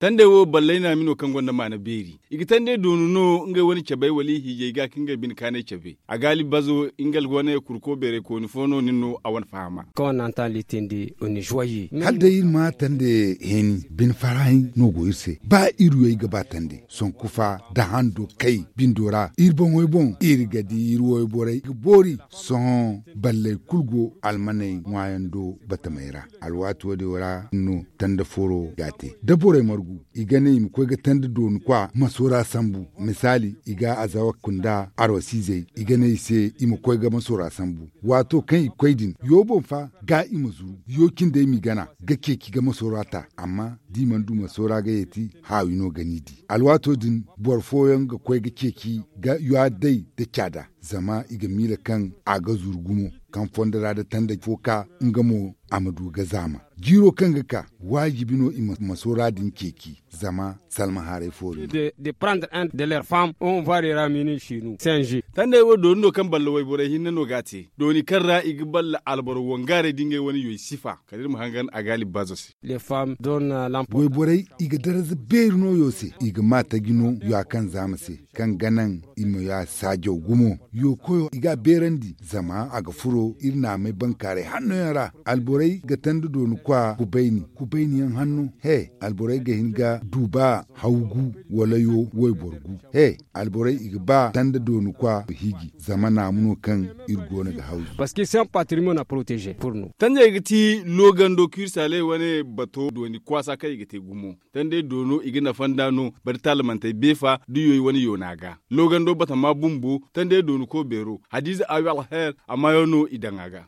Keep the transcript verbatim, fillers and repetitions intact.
Tandey wo ballay naami no kaŋ gonda maana beeri. I ga tandey doonu no ngey wane cabey wala i hiijay ga ka ngey bine kaanay cabe. A ga alibazo nga alhuwaney kurko beeray kooni fo no nin no a wane fahama. Kaŋ a naŋ taŋ litindi oni zuwayi. Hala day iri ma tande heeni bine farahaŋ no go iri se ba iri wey ga ba tande sonku fa da hando kay bindo ra iri boŋey boŋ iri ga di iri woy borey ga boori. Sohõ balley kulu go almaney ŋwaayaŋ do batamey ra. Alwaati wo- din ra no tanda foro ga a te da borey margu i ga ne i ma koy ga tanda dooni kwa maso ra sambu. Misaali i ga azawa kunda arwasiizey i ga ne i se i ma koy ga maso ra sambu. Waato kaŋ i ga koy din yo boŋ fa ga i ma zuru yo cindey m'i gana ga ceeci ga maso ra ta amma da i mana du maso ra ga yeeti haawi no ga n'i di. Alwaato din boro fooyaŋ ga koy ga ceeci ga yo a day nda caada zama i ga miila kaŋ a ga zuru gumo kaŋ fondo ra da tanda fo ka nga mo a ma du ga zaama. Jiiro kaŋ ga ka waajibi no i ma maso ra din ceeci zama salma haray fo din. De prendre un de leur femme on va de ramini shinu senji. Tandey wo dooni no kaŋ balla wayborey hinne no ga a te dooni kaŋ ra i ga balla alboro wangaaray da ngey wane yoy sifa kala iri ma hangan a ga alibbazo se. Wayborey i ga daraza beeri no yo se i ga ma taji no yo a kaŋ zaama se kaŋ ga naŋ i ma ya saajaw gumo. Yo koyo i ga a beerandi zama a ga furo iri naamey bankaaray hanno yaŋ ra. Alborey ga tanda dooni kwa kubayni kubayni yaŋ hanno he alborey ga hin ga du ba haw gu wala yo wayboro gu he alborey i ga ba tanda dooni kwa hiiji zama naamu no kaŋ iri go no ga hawzu. Parce que c'est un patrimoine à protéger pour nous. Tandey ga ti loogando kirsaaley wane bato dooni kwaasa kaŋ i ga te gumo. Tandey doono i ga nafa nd'a no bari taalamantey beefa da yoy wane yoona ga. Loogando batama bumbo tandey dooni ko beero hadiize awi alher a maayo no i daŋ a ga.